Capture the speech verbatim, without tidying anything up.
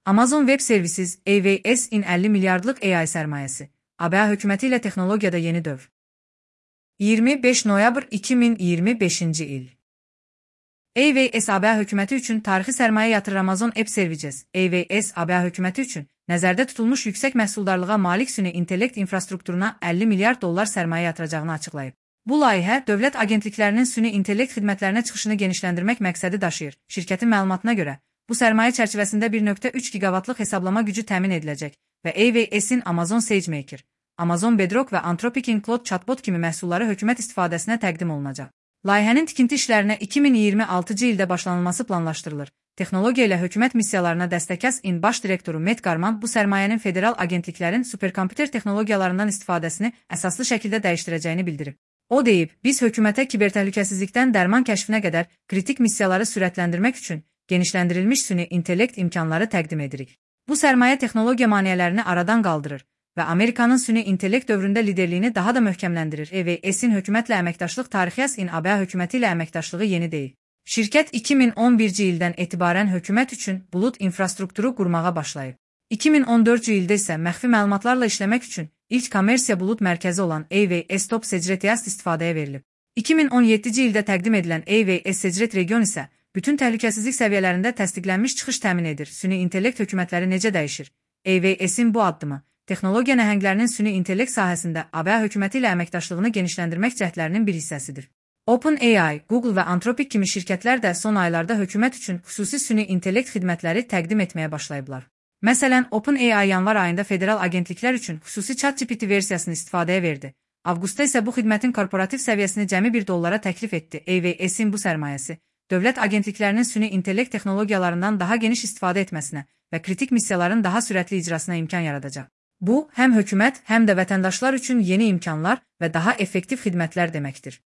Amazon Web Services, A W S-in əlli milyardlıq A I sərmayəsi. A B A hökuməti ilə texnologiyada yeni dövr. iyirmi beş noyabr iki min iyirmi beşinci il. A W S A B A hökuməti üçün tarixi sərmayə yatırır. Amazon Web Services, A W S A B A hökuməti üçün nəzərdə tutulmuş yüksək məhsuldarlığa malik süni intellekt infrastrukturuna əlli milyard dollar sərmayə yatıracağını açıqlayıb. Bu layihə dövlət agentliklərinin süni intellekt xidmətlərinə çıxışını genişləndirmək məqsədi daşıyır. Şirkətin məlumatına görə, bu sərmayə çərçivəsində bir nöqtə üç giqavatlıq hesablama gücü təmin ediləcək və A W S-in Amazon SageMaker, Amazon Bedrock və Anthropic'in Claude chatbot kimi məhsulları hökumət istifadəsinə təqdim olunacaq. Layihənin tikinti işlərinə iki min iyirmi altıncı ildə başlanılması planlaşdırılır. Texnologiya ilə hökumət missiyalarına dəstəkəs-in baş direktoru Matt Garman bu sərmayənin federal agentliklərin superkomputer texnologiyalarından istifadəsini əsaslı şəkildə dəyişdirəcəyini bildirib. O deyib, biz hökumətə kibertəhlükəsizlikdən dərman kəşfinə qədər kritik missiyaları sürətləndirmək üçün genişləndirilmiş süni intellekt imkanları təqdim edirik. Bu sərmayə texnologiya maneələrini aradan qaldırır və Amerikanın süni intellekt dövründə liderliyini daha da möhkəmləndirir. A W S-in hökumətlə əməkdaşlıq tarixi-in A B A hökuməti ilə əməkdaşlığı yeni deyil. Şirkət iki min on birinci ildən etibarən hökumət üçün bulut infrastrukturu qurmağa başlayıb. iki min on dördüncü ildə isə məxfi məlumatlarla işləmək üçün ilk kommersiya bulut mərkəzi olan A W S Top Secret istifadəyə verilib. iki min on yeddinci ildə təqdim edilən A W S Secret region isə bütün təhlükəsizlik səviyyələrində təsdiqlənmiş çıxış təmin edir. Süni intellekt hökumətləri necə dəyişir? A W S-in bu addımı texnologiya nəhənglərinin süni intellekt sahəsində A B A hökuməti ilə əməkdaşlığını genişləndirmək cəhdlərinin bir hissəsidir. OpenAI, Google və Anthropic kimi şirkətlər də son aylarda hökumət üçün xüsusi süni intellekt xidmətləri təqdim etməyə başlayıblar. Məsələn, OpenAI yanvar ayında federal agentliklər üçün xüsusi ChatGPT versiyasını istifadəyə verdi. Avqustda isə bu xidmətin korporativ səviyyəsini cəmi bir dollara təklif etdi. A W S-in bu sərmayəsi dövlət agentliklərinin süni intellekt texnologiyalarından daha geniş istifadə etməsinə və kritik missiyaların daha sürətli icrasına imkan yaradacaq. Bu, həm hökumət, həm də vətəndaşlar üçün yeni imkanlar və daha effektiv xidmətlər deməkdir.